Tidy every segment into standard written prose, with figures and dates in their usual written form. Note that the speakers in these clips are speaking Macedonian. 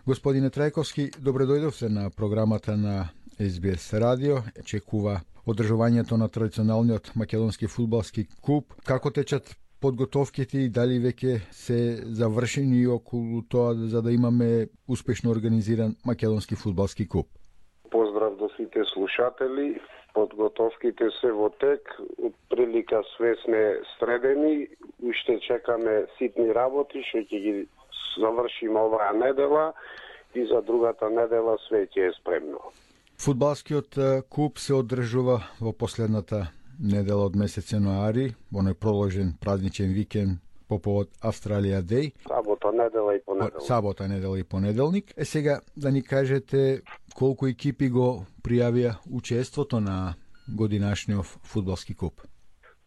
Господине Трајковски, добре дојдовте на програмата на СБС радио. Чекува одржувањето на традиционалниот македонски фудбалски куп. Како течат подготовките и дали веќе се завршени околу тоа за да имаме успешно организиран македонски фудбалски куп? Поздрав до сите слушатели. Подготовките се во тек, од прилика све сме средени, уште чекаме ситни работи, што ќе ги завршиме оваа недела и за другата недела све ќе е спремно. Фудбалскиот куп се одржува во последната недела од месец јануари, оној проложен празничен викенд по повод Австралија Дей. Сабота, недела и понеделник. Сабота, недела и понеделник. Сега да ни кажете колку екипи го пријавија учеството на годинашниот фудбалски куп?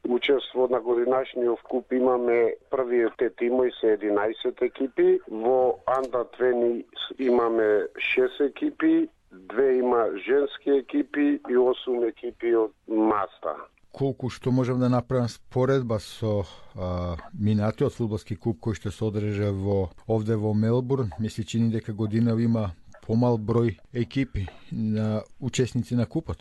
Учество на годинашниот куп имаме првите тимови се 11 екипи, во Under 20 имаме 6 екипи, 2 има женски екипи и 8 екипи од Маста. Колку што можам да направам споредба со минатиот фудбалски куп кој што се одржа овде во Мелбурн, мисли чини дека година има помал број екипи на учесници на купот?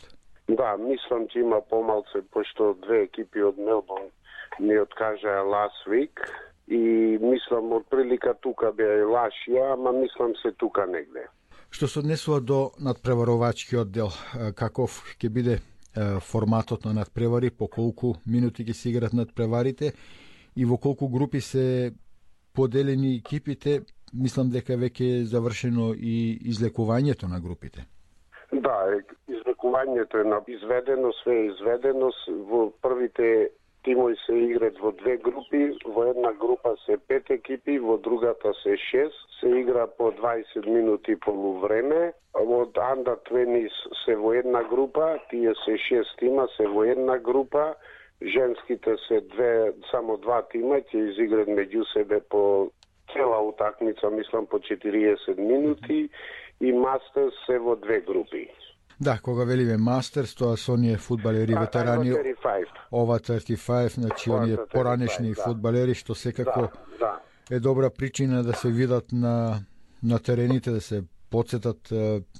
Да, мислам че има помалце, пошто 2 екипи од Мелбурн ни откажаа last week и мислам од прилика тука беа и Лашија, ама мислам се тука негде. Што се однесува до надпреваровачкиот дел, каков ќе биде форматот на надпревари, по колку минути ќе се играт надпреварите и во колку групи се поделени екипите, мислам дека веќе е завршено и излекувањето на групите. Да, излекувањето е изведено, све е изведено. Во првите тимови се играат во 2 групи, во една група се 5 екипи, во другата се 6, се игра по 20 минути полувреме. Од Under 20 се во една група, тие се 6 тима, се во една група, женските се само 2 тима, ќе изиграат меѓу себе по цела утакмица, мислам по 40 минути, и Мастерс се во 2 групи. Да, кога велиме Мастерс, тоа се оние фудбалери ветерани, ова 35, значи оние поранешни фудбалери, што секако е добра причина да се видат на терените, да се подсетат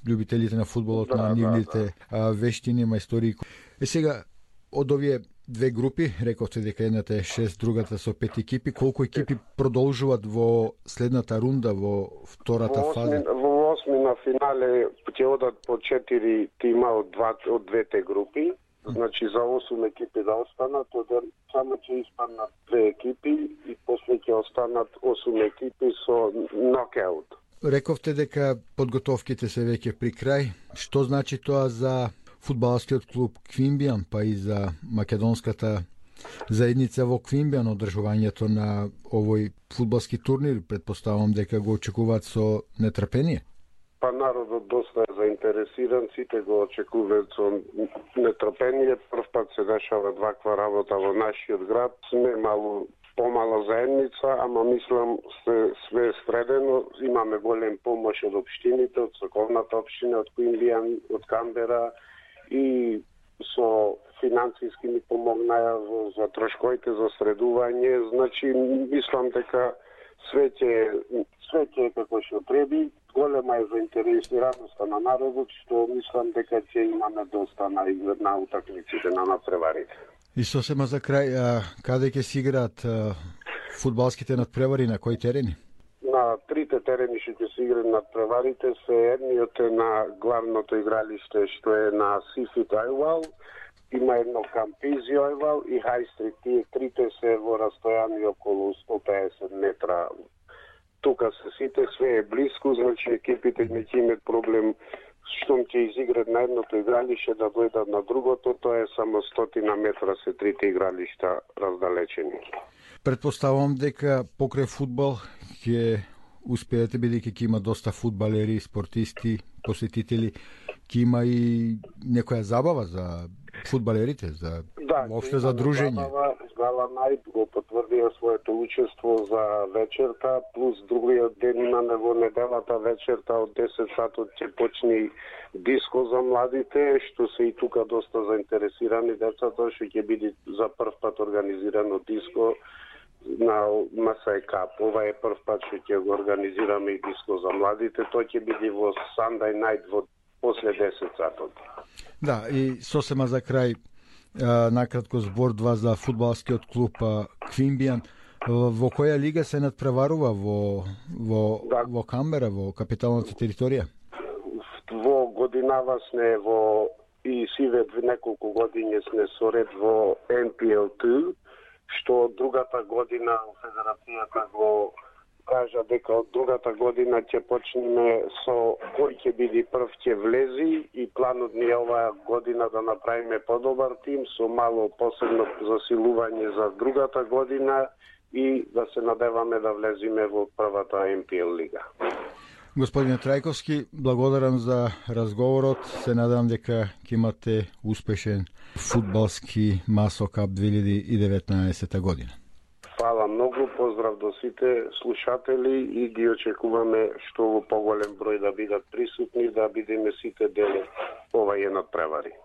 љубителите на фудбалот на нивните вештини, мајстории. Сега, од овие 2 групи, рековте дека едната е 6, другата со 5 екипи, колку екипи продолжуваат во следната рунда, во втората фаза? Во 8 на финале ќе одат по 4 тима од двете групи, значи за 8 екипи да останат, само ќе испаднат 2 екипи и после ќе останат 8 екипи со нокаут. Рековте дека подготовките се веќе при крај. Што значи тоа за фудбалскиот клуб Квинбијан, па и за македонската заедница во Квинбијан, одржувањето на овој фудбалски турнир? Предпоставам дека го очекуваат со нетрпение. Па народот доста е заинтересиран, сите го очекуваат со нетрпение. Прв пат се дешава ваква работа во нашиот град. Сме помала заедница, ама мислам све средено. Имаме голем помош од општините, од соковната општина, од Квинбијан, од Камбера, и со финансиски ни помогнаја за трошковите за средување. Значи, мислам дека све ќе како што треби. Голема е заинтересираноста на народот, што мислам дека ќе имаме доста на утакмиците на надпреварите. И сосема за крај, каде ќе се играат фудбалските надпревари, на кои терени? На 3 терени што ќе се играат надпреварите се едниот е на главното игралиште што е на Сифит Ајвал, има едно Кампизи Ајвал и Хајстрит. Тие 3 се во растојание околу 150 метра. Тука се сите, све е близко, значи екипите не ќе имат проблем штом ќе изиграат на едното игралиште да дојдат на другото, тоа е само 100 метра се 3 игралишта раздалечени. Предпоставам дека покрај фудбал ќе успеете, бидејќи ќе има доста фудбалери, спортисти, посетители, ќе има и некоја забава за фудбалерите, за воопшто за дружење. Гала Најт го потврдија своето учество за вечерта, плюс другиот ден имаме во неделата вечерта од 10 сатот ќе почне диско за младите, што се и тука доста заинтересирани децата, што ќе биде за прв пат организирано диско на МСЕ Кап. Ова е прв пат што ќе го организираме и диско за младите. Тој ќе биде во Sunday night после 10 сатот. Да, и сосема за крај, накратко збор два за фудбалскиот клуб Квинбијан. Во која лига се надпреварува во Камбера, во капиталната територија? Во годинава сме во и сиве неколку години сме со ред во NPL2, што другата година Федерацијата го кажа дека од другата година ќе почнеме со кој ќе биде прв ќе влези и планот ни е оваа година да направиме подобар тим со мало посебно засилување за другата година и да се надеваме да влеземе во првата NPL лига. Господине Трајковски, благодарам за разговорот. Се надам дека ќе имате успешен фудбалски МАСО Кап 2019 година. Фала многу, поздрав до сите слушатели и ги очекуваме што во поголем број да бидат присутни, да бидеме сите дел овај надпревари.